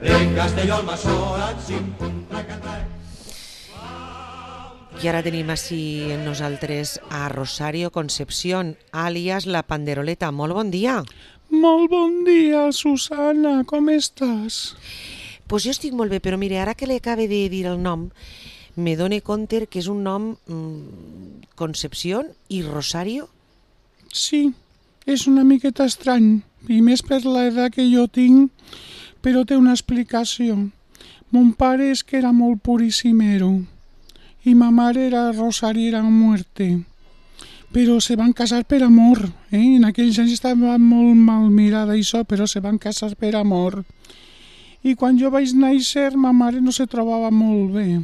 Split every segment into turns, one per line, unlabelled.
en Castelló al Masora, xim-pum-traca-trac.
I ara tenim així en nosaltres a Rosario Concepción, àlies la Panderoleta. Molt bon dia.
Molt bon dia, Susana, com estàs?
Pues jo estic molt bé, però mire, ara que li acabe de dir el nom, me dono compte que és un nom Concepción i Rosario.
Sí, és una miqueta estrany, i més per l'edat que jo tinc, però té una explicació. Mon pare és que era molt purissimero, i ma mare era rosariera a muerte. Però se van casar per amor, En aquells anys estava molt mal mirada això, però se van casar per amor. I quan jo vaig néixer, ma mare no se trobava molt bé.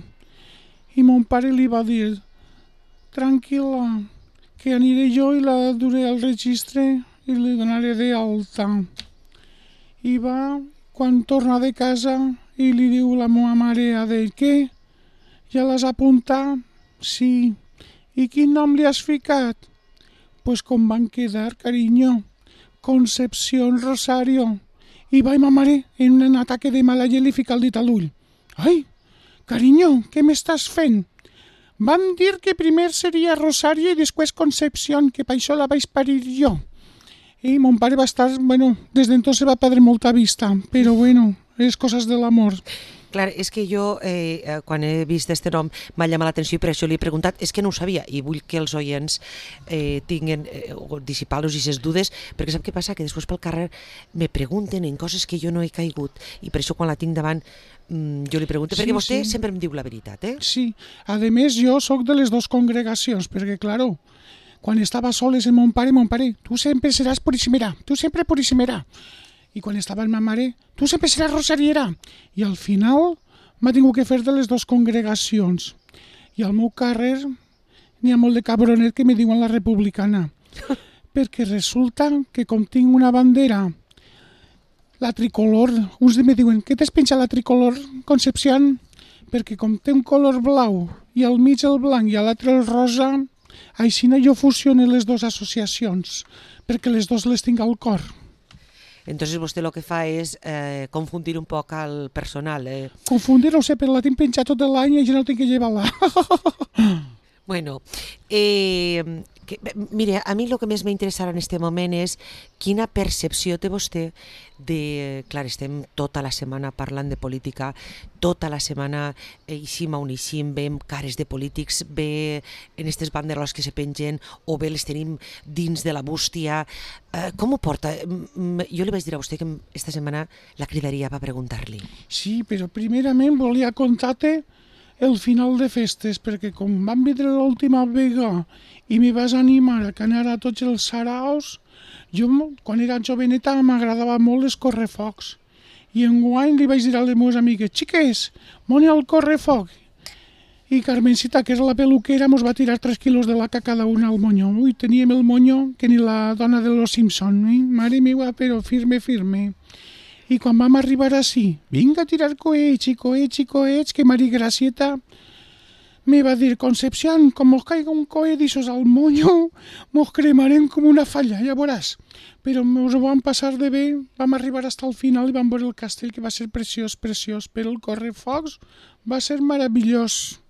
I mon pare li va dir, tranquil·la, que aniré jo i la duré al registre i li donaré d'alta. I va, quan torna de casa, i li diu la meva mare a ell, què? Ja l'has apuntat? Sí. I quin nom li has ficat? Pues com van quedar, carinyo. Concepción Rosario. I va, ma mare, en un ataque de mala llet li fica el dit a l'ull. Ai, carinyo, què m'estàs fent? Van dir que primer seria Rosario i després Concepción, que per això la vaig parir jo. I mon pare va estar, des d'entonces va perdre molta vista, però és coses de l'amor.
Clar, és que jo, quan he vist este nom, m'ha llamat l'atenció i per això li he preguntat, és que no ho sabia i vull que els oients tinguin, dissipar-los aquestes dudes, perquè sap què passa? Que després pel carrer me pregunten en coses que jo no he caigut i per això quan la tinc davant jo li pregunto, perquè vostè sempre em diu la veritat,
Sí, a més jo sóc de les dues congregacions, perquè, claro, quan estava soles en mon pare, tu sempre seràs purissimera, tu sempre purissimera. I quan estava amb ma mare, tu sempre seràs rosariera. I al final m'ha tingut que fer de les dues congregacions. I al meu carrer n'hi ha molt de cabronet que me diuen la republicana. Perquè resulta que com tinc una bandera, la tricolor, uns me diuen, què t'has penjat la tricolor, Concepción? Perquè com té un color blau i al mig el blanc i a l'altre el rosa, així jo fusiono les dues associacions, perquè les dues les tinc al cor.
Entonces vostè el que fa és confundir un poc al personal.
Confundir, no sé, però la tinc penjat tot l'any i ja no tinc que llevar-la.
Bueno, mire, a mi el que més m'interessarà en aquest moment és quina percepció té vostè de... Clar, estem tota la setmana parlant de política, tota la setmana eixim on eixim, veiem cares de polítics, ve en aquestes banderoles que se pengen o bé les tenim dins de la bústia. Com ho porta? Jo li vaig dir a vostè que aquesta setmana la cridaria per preguntar-li.
Sí, però primerament volia contar-te el final de festes, perquè com vam vindre l'última vegada i me vas animar a que anara a tots els saraos, jo, quan era joveneta, m'agradava molt els correfocs. I enguany li vaig dir a les meves amigues, xiques, moni al correfoc. I Carmencita, que és la peluquera, mos va tirar 3 quilos de laca cada una al moño. Ui, teníem el moño que ni la dona de los Simpson, Mare meva, però firme. I quan vam arribar així, vinga a tirar coets, que Mari Gracieta me va dir, Concepción, com mos caiga un coet d'aixòs al moño, mos cremarem com una falla, ja veuràs. Però ens ho vam passar de bé, vam arribar fins al final i vam veure el castell, que va ser preciós, però el correfocs va ser meravellós.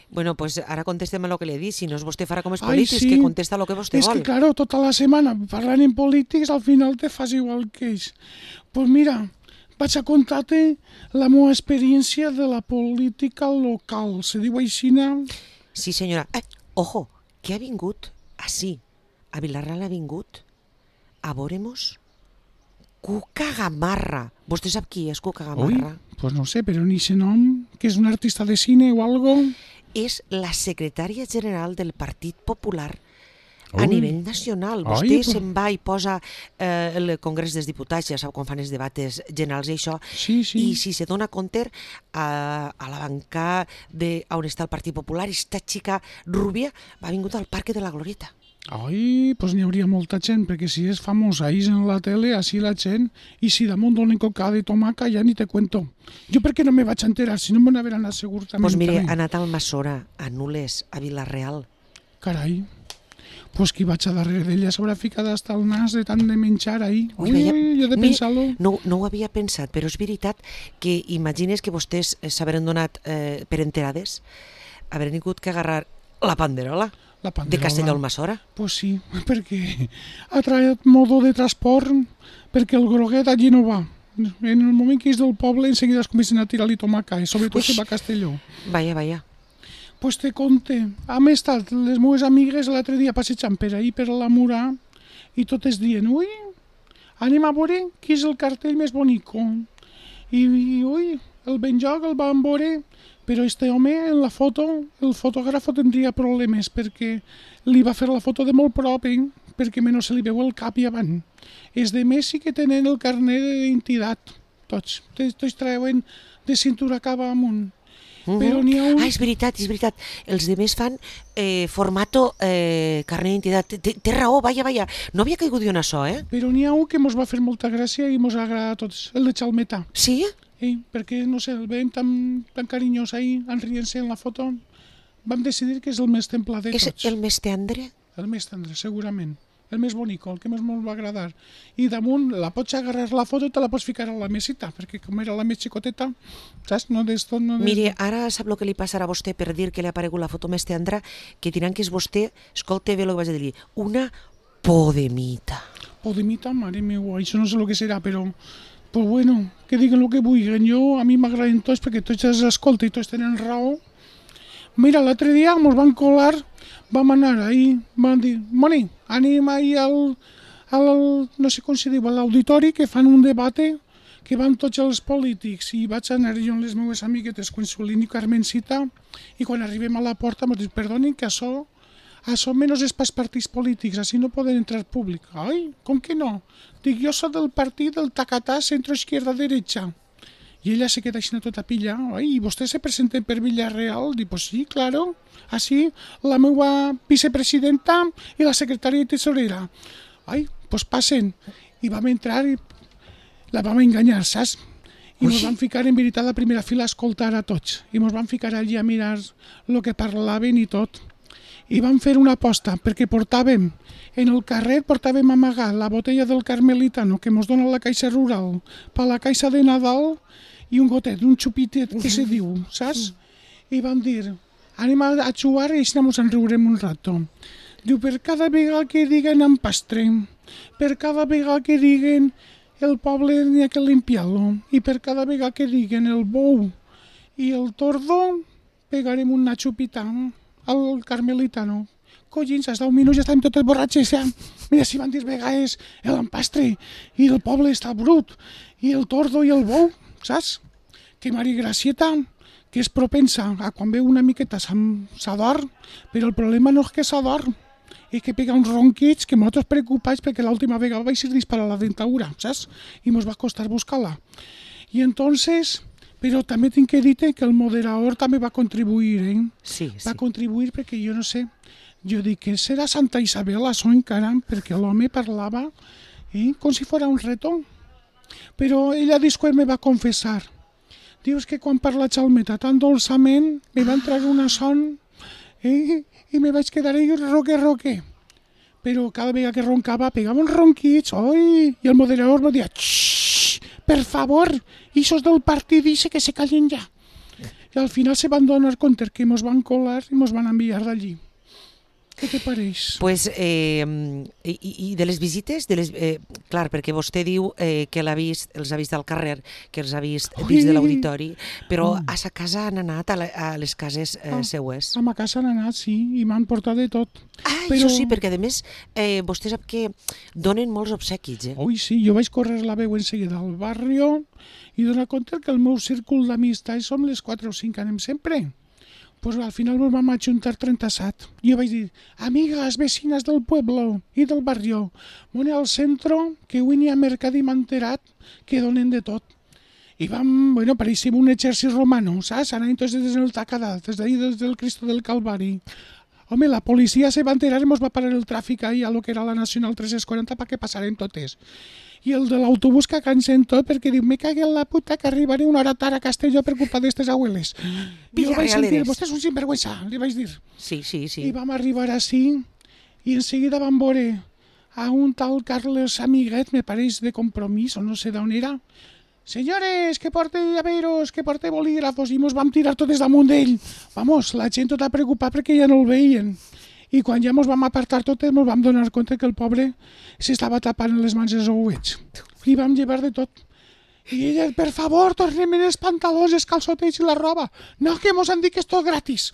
Bueno, pues ara contestem el que li he dit, si no és vostè farà com els polítics, que contesta el que vostè vol.
És que, claro, tota la setmana parlant en polítics, al final te fas igual que ells. Pues mira, vaig a contar-te la meva experiència de la política local. Se diu aixina?
Sí, senyora. Ojo, que ha vingut així, a Vilarreal ha vingut a veure-mos Cuca Gamarra. Vostè sap qui és Cuca Gamarra?
Pues no sé, però ni sé nom, que és un artista de cine o algo.
És la secretària general del Partit Popular a nivell nacional. Vostè se'n va i posa el Congrés dels Diputats, ja sap com fan els debats generals i això, i si se dona compte a la banca on està el Partit Popular, esta xica rubia va vingut al Parque de la Glorieta.
Ai, doncs n'hi hauria molta gent, perquè si és famosa ahí en la tele, així la gent, i si damunt donen cocada i tomaca, ja ni te cuento. Jo per què no me vaig enterar, si no me'n haver anat segur també.
Doncs mire, ha anat al Masora, a Nules, a Vilarreal.
Carai, Pues qui vaig a darrere d'ella s'haurà ficat hasta el nas de tant de menjar ahí.
Ui,
Ui,
veia-
jo de pensar-lo.
No ho havia pensat, però és veritat que imagines que vostès s'haveren donat per enterades, haveren hagut que agarrar la panderola
La
de
panderola.
Castelló-Almassora.
Pues sí, perquè ha traït modo de transport, perquè el groguet allí no va. En el moment que és del poble, en seguida es comencen a tirar-li tomacais, sobretot
Ui.
si va a Castelló.
Vaya.
Pues te conte, hem estat les meves amigues l'altre dia passejant per ahir per la Murà i totes dient, ui, anem a veure qui és el cartell més bonico. I ui, el Benjoc el vam veure, però este home en la foto, el fotògrafo tindria problemes perquè li va fer la foto de molt prop, perquè menys se li veu el cap i avant. Els de més sí que tenen el carnet d'identitat, tots treuen de cintura cap amunt. Però n'hi ha un...
Ah, és veritat. Els demés fan formato carnet d'identitat. Té raó, vaya. No havia caigut jo en això,
Però n'hi ha un que mos va fer molta gràcia i mos agrada a tots, el de Chalmeta.
Sí?
Perquè, no sé, el veiem tan carinyós ahí, enrient-se en la foto. Vam decidir que és el més temple de
És
tots.
el més tendre?
El més tendre, segurament. El més bonic, el que més molt va agradar. I damunt la pots agarrar la foto i te la pots ficar a la mesita, perquè com era la més xicoteta, saps?
Mire, ara sap el que li passarà a vostè per dir que li ha aparegut la foto més tendra, que diran que és vostè, escolta bé el que vaig a dir, una podemita.
Podemita, mare meva, això no sé el que serà, però... Pues bueno, que diguen el que vulguin. A mi m'agraden tots perquè tots els escolten i tots tenen raó. Mira, l'altre dia ens van colar, vam anar ahir, van dir, Moni, anem ahir no sé com se diu, a l'auditori, que fan un debat que van tots els polítics, i vaig anar jo amb les meves amiguetes, Consolín i Carmencita, i quan arribem a la porta m'ho dic, perdonin que això menys és pels partits polítics, així no poden entrar públic. Ai, com que no? Dic, jo soc del partit del tacatà centro-izquierda-derecha. I ella se queda així tota pilla. Ai, i vostè se presenta per Villarreal? Dic, pues sí, claro. Així, la meva vicepresidenta i la secretària i tesorera. Ai, pues passen. I vam entrar i la vam enganyar, saps? I ens vam ficar en veritat a la primera fila a escoltar a tots. I ens vam ficar allí a mirar el que parlaven i tot. I vam fer una aposta, perquè portàvem, en el carret portàvem amagat la botella del Carmelitano que ens dona la Caixa Rural per la Caixa de Nadal i un gotet, un xupitet que se diu, saps? I vam dir, anem a jugar i així ens en riurem un rato. Diu, per cada vegada que diguen empastre, per cada vegada que diguen el poble n'hi ha que limpiar-lo, i per cada vegada que diguen el bou i el tordo, pegarem una xupita al Carmelitano. Collins, hasta un minut ja estàvem totes borratxes, ja. Mira, si van dir vegades l'empastre i el poble està brut, i el tordo i el bou, saps? Que Mari Gracieta, que és propensa a quan veu una miqueta s'adorm, però el problema no és que s'adorm, és que pega uns ronquits que nosaltres preocupats perquè l'última vegada vaig ser disparar la dentadura, saps? I ens va costar buscar-la. I entonces... Però també tinc que dir que el moderador també va contribuir,
Sí.
Va contribuir perquè jo no sé, jo dic que serà Santa Isabel això encara, perquè l'home parlava com si fos un reto. Però ella després me va confessar. Dius que quan parla Chalmeta tan dolçament me va entrar una son i me vaig quedar ahí roque. Però cada vegada que roncava pegava uns ronquits, oi, i el moderador me deia, xxxt, per favor, ixos del partit dice que se callen ja. I al final se van donar compte que ens van colar i ens van enviar d'allí. Què te pareix?
Pues, i de les visites, clar, perquè vostè diu que els ha vist al carrer, que els ha vist dins de l'auditori, però a sa casa han anat a les cases seues.
A ma casa han anat, sí, i m'han portat de tot.
Això sí, perquè a més vostè sap que donen molts obsequis,
Ui, sí, jo vaig córrer la veu en seguida al barri i donar compte que el meu círcul d'amistats som les 4 o 5 que anem sempre. Pues al final nos vam ajuntar 37. Jo vaig dir, amigas, vecinas del pueblo i del barrio, vone al centro, que avui n'hi ha mercat i m'ha enterat que donen de tot. I vam, pareixem un exèrcit romano, saps? Anant tots des del Tacadà, des d'ahir des del Cristo del Calvari. Home, la policia se va enterar i ens va parar el tràfic ahir a lo que era la Nacional 340 perquè passaren totes. I el de l'autobús que cansen tot perquè diu, me cague en la puta que arribaré una hora tard a Castelló per culpa d'estes abueles. I jo vaig sentir, vostè és un sinvergüenza, li vaig dir.
Sí.
I vam arribar així i en seguida vam veure a un tal Carles Amiguet, me pareix de Compromís, o no sé d'on era. Senyores, que porte llaveros, que porte bolígrafos, i mos vam tirar totes damunt d'ell. Vamos, la gent tota preocupada perquè ja no el veien. I quan ja mos vam apartar totes, mos vam donar compte que el pobre s'estava tapant les mans i els ouets. Li vam llevar de tot. I ella, per favor, tornem els pantalons, els calçotets i la roba. No, que mos han dit que és tot gratis.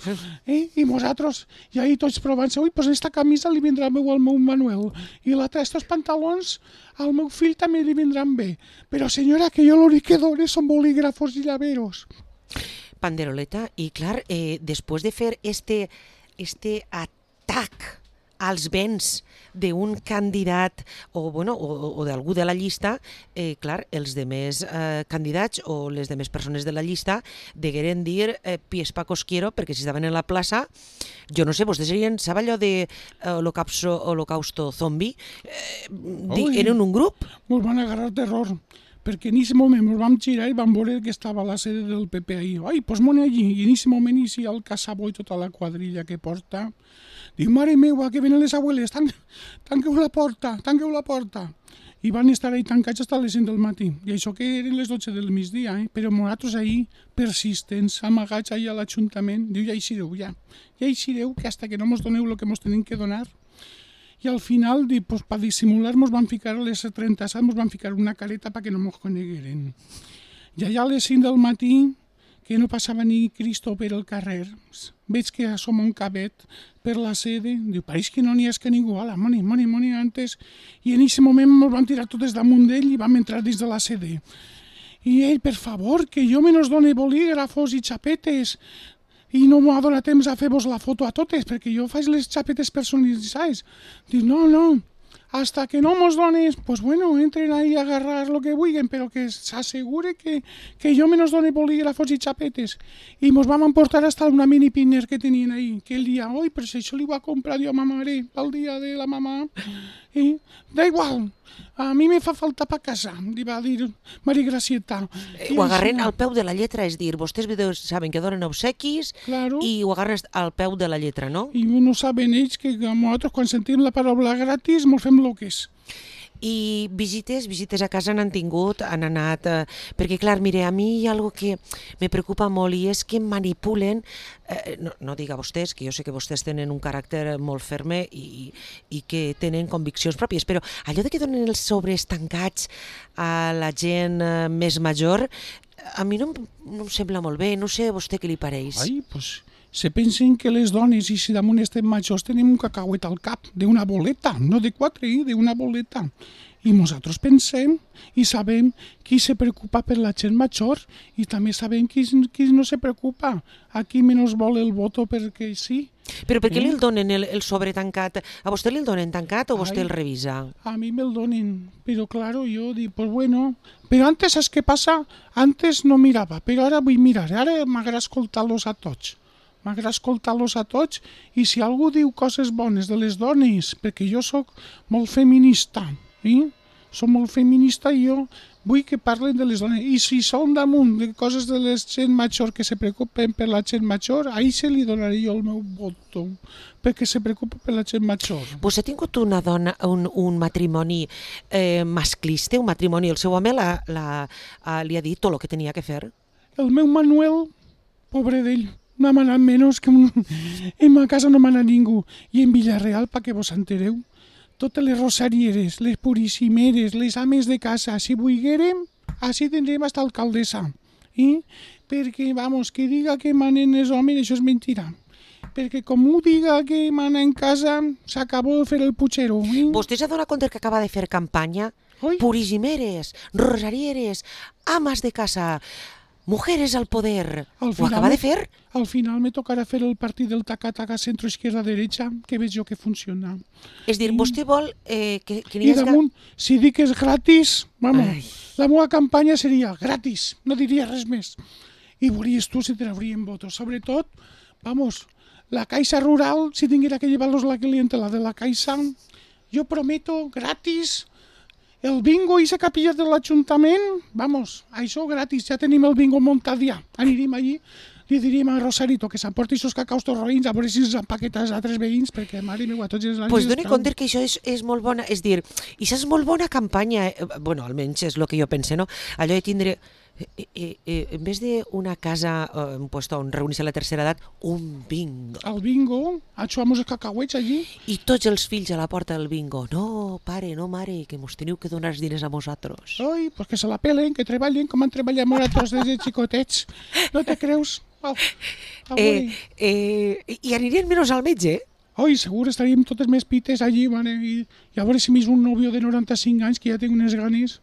I nosaltres, i ahí tots provant-se, ui, pues esta camisa li vindrà meu al meu Manuel. I l'altra, estos pantalons, al meu fill també li vindran bé. Però senyora, que jo l'únic que dono són bolígrafos i llaveros.
Panderoleta, i clar, després de fer este atac als béns d'un candidat o d'algú de la llista, clar, els demés candidats o les demés persones de la llista degueren dir pies pa cosquiero, perquè si estaven en la plaça, jo no sé, vostès serien, sap allò de holocausto zombi? Eren un grup?
Mos van agarrar terror, perquè en aquest moment ens vam girar i vam veure que estava la sede del PP ahí. Ai, pues mone allí, i en aquest moment inicia el Casabó i tota la quadrilla que porta. Diu, mare meua, que venen les abueles, tanqueu la porta. I van estar ahí tancats fins a les 5 del matí. I això que eren les 12 del migdia, però nosaltres ahí, persistents, amagats ahí a l'Ajuntament, diu, ja hi sereu, que hasta que no mos doneu el que mos tenim que donar. I al final, pues, per dissimular, mos van ficar a les 37, mos van ficar una careta perquè no mos conegueren. I allà a les 5 del matí, que no passava ni Cristo per el carrer, veig que assoma un cabet per la sede, diu, pareix que no n'hi ha que ningú, ala, moni, antes, i en aquest moment ens vam tirar totes damunt d'ell i vam entrar dins de la sede. I ell, per favor, que jo menos done bolígrafos i xapetes, i no m'ha donat temps a fer-vos la foto a totes, perquè jo faig les xapetes personalitzades. Diu, no, hasta que no mos dones, pues bueno, entren ahí a agarrar lo que vulguen, però que s'assegure que jo menos done bolígrafos i xapetes. I mos vam emportar hasta una mini pinner que tenien ahí, que el dia, oi, però si això li va comprar jo a ma mare, pel dia de la mamà. I, da igual, a mi me fa falta pa casa, li va dir Maria Gracieta.
Ho agarren al peu de la lletra, és dir, vostès saben que donen obsequis,
claro,
i ho agarren al peu de la lletra, no?
I no saben ells que nosaltres quan sentim la paraula gratis mos fem loques.
I visites a casa han anat, perquè clar, mire, a mi hi ha algo que me preocupa molt i és que manipulen, no diga vostès, que jo sé que vostès tenen un caràcter molt ferme i que tenen conviccions pròpies, però allò de que donen els sobres tancats a la gent més major, a mi no em sembla molt bé, no sé a vostè què li pareix.
Ai, pues se pensen que les dones, i si damunt estem majors, tenim un cacauet al cap, d'una boleta, no de 4, d'una boleta. I nosaltres pensem i sabem qui se preocupa per la gent major i també sabem qui no se preocupa. A qui menys vol el voto perquè sí.
Però per què li el donen el sobre tancat? A vostè li el donen tancat o vostè el revisa?
A mi me'l donen, però claro, jo dic, pues bueno. Però antes, saps què passa? Antes no mirava, però ara vull mirar. Ara m'agrada escoltar-los a tots. I si algú diu coses bones de les dones, perquè jo sóc molt feminista, soc molt feminista i jo vull que parlen de les dones. I si són damunt de coses de la gent major que se preocupen per la gent major, ahí se li donaré jo el meu voto, perquè se preocupa per la gent major.
Vostè ha tingut una dona, un matrimoni masclista, un matrimoni, el seu home li ha dit tot el que tenia que fer?
El meu Manuel, pobre d'ell, no m'ha anat menys que en ma casa no m'ha anat ningú. I en Villarreal, perquè vos entereu, totes les rosarieres, les purissimeres, les ames de casa, si volguérem, així tindrem hasta alcaldessa. Perquè, vamos, que diga que manen els homes, això és mentira. Perquè com ho diga que mana en casa, s'acabó de fer el putxero.
Vostè s'ha donat compte que acaba de fer campanya? Purissimeres, rosarieres, amas de casa, mujeres al poder. Ho acaba de fer?
Al final me tocarà fer el partit del taca-taca centro-izquierda-derecha, que veig jo que funciona.
És dir, vostè vol que
n'hi hagi... I damunt, si dic que és gratis, vamos, la meva campanya seria gratis, no diria res més. I veuries tu si traurien votos. Sobretot, vamos, la Caixa Rural, si tinguera que llevar-los la clientela de la Caixa, jo prometo gratis. El bingo i la capilla de l'Ajuntament, vamos, això gratis, ja tenim el bingo muntat ja. Anirem allí, li diríem a Rosarito que s'emporti els cacaus torroïns a veure si els empaqueta als altres veïns, perquè, mare meva, tots els anys...
Pues doni compte que això és molt bona, és dir, això és molt bona campanya, bueno, almenys és el que jo pense, no? Allò de tindre, en vez d'una casa, un puesto on reunir-se la tercera edat, un bingo.
El bingo, achuvamos els cacauets allí.
I tots els fills a la porta del bingo. No, pare, no, mare, que mos teniu que donar els diners a vosaltres.
Ai, pues que se la pelen, que treballen com han treballat nosaltres des de xicotets. No te creus? Oh,
I anirien menys al metge,
Ai, segur estaríem totes més pites allí, mare, i a veure si m'és un nòvio de 95 anys que ja tinc unes ganes,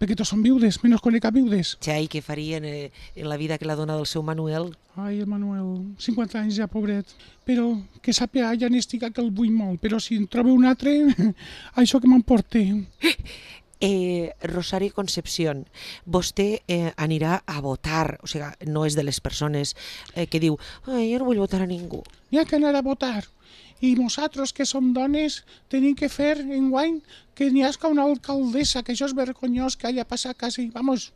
perquè tots són viudes, menys conec a viudes.
Ja, i què farien en la vida que la dona del seu Manuel?
Ai, el Manuel, 50 anys ja, pobret. Però que sàpiga, ja n'estic que el vull molt, però si en trobo un altre, això que m'emporte.
Rosario Concepción, vostè anirà a votar, o sigui, no és de les persones que diu, jo no vull votar a ningú.
N'hi ha que anar a votar. I nosaltres, que som dones, tenim que fer enguany que n'hi hagi una alcaldessa, que això és vergonyós que hagi passat quasi. Vamos,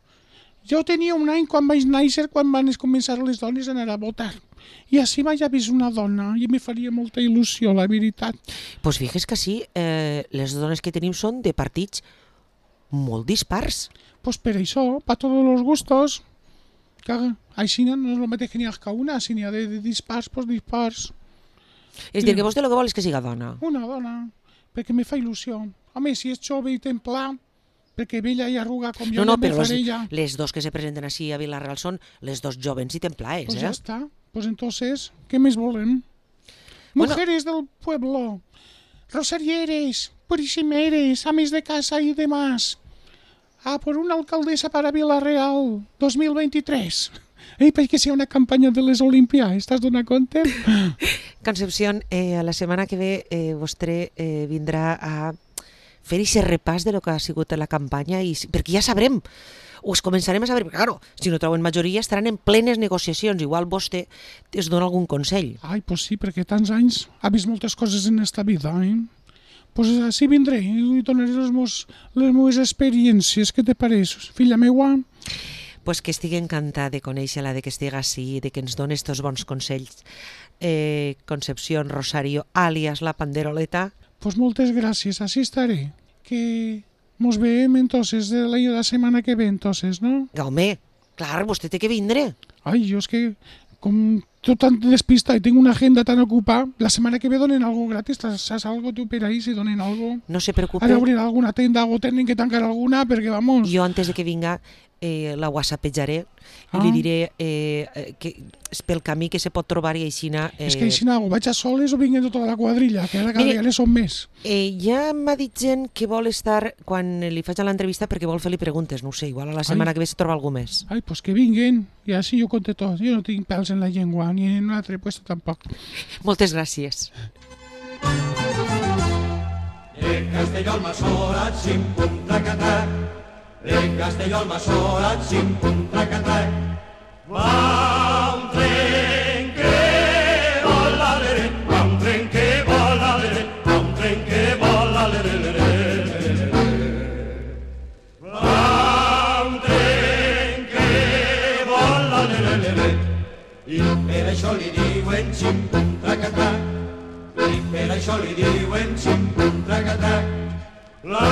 jo tenia un any quan vaig néixer, quan van començar les dones a anar a votar. I així vaig vist una dona i me faria molta il·lusió, la veritat.
Pues fixes que sí, les dones que tenim són de partits molt dispars.
Pues per això, para todos los gustos. Que així no és el mateix que n'hi ha que una, si n'hi ha de dispars, pues dispars.
És dir, que vostè el que vol és que siga dona.
Una dona, perquè me fa il·lusió. Home, si és jove i templà, perquè vella i arruga com jo
No,
me
però
faré ja.
les dos que se presenten així a Vila-real són les dos jovens i templaes,
Pues ya está. Pues entonces, ¿qué més volem?
Bueno.
Mujeres del pueblo, rosarieres, purissimeres, ames de casa y demás. A por una alcaldesa para Vila-real 2023. Perquè si hi ha una campanya de les Olimpiades, estàs donant compte?
Concepción, a la setmana que ve vostè vindrà a fer aquest repàs de lo que ha sigut la campanya, perquè ja sabrem, us començarem a saber, perquè claro, si no troben majoria estaran en plenes negociacions, igual vostè es dona algun consell.
Ai, pues sí, perquè tants anys ha vist moltes coses en esta vida, Pues així vindré i donaré les meves experiències, què te pareix, filla meua?
Pues que estigui encantada de conèixer-la, de que estigui així, de que ens doni estos bons consells. Concepción Rosario, alias la Panderoleta.
Pues moltes gràcies, així estaré. Que mos veiem entonces de la setmana que ve, entonces, no?
Home, clar, vostè té que vindre.
Ai, jo és que, com tot tan despista i tinc una agenda tan ocupada, la setmana que ve donen algo gratis, saps algo tu per ahí, si donen algo?
No se preocupe.
Ara obrir alguna tenda o tenen que tancar alguna, perquè vamos...
Jo antes de que vinga la whatsappejaré i li diré que és pel camí que se pot trobar i aixina...
És que aixina o vaig a soles o vinguin tota la quadrilla, que ara cada dia són més.
Ja m'ha dit gent que vol estar, quan li faig l'entrevista, perquè vol fer-li preguntes, no sé, igual a la setmana que ve se troba algú més.
Ai, pues que vinguin, i així jo conté tot. Jo no tinc pèls en la llengua, ni en un altre puesto tampoc.
Moltes gràcies.
De Castelló al Masora, xim-pum, trac-a-trac. De Castelló al Masora, xim-pum, trac-a-trac. Va un tren que vola, lere, va un tren que vola, lere, va un tren que vola, lere, lere. Va un tren que vola, lere, lere. I per això li diuen xim-pum, trac-a-trac. I per això li diuen xim-pum, trac-a-trac. La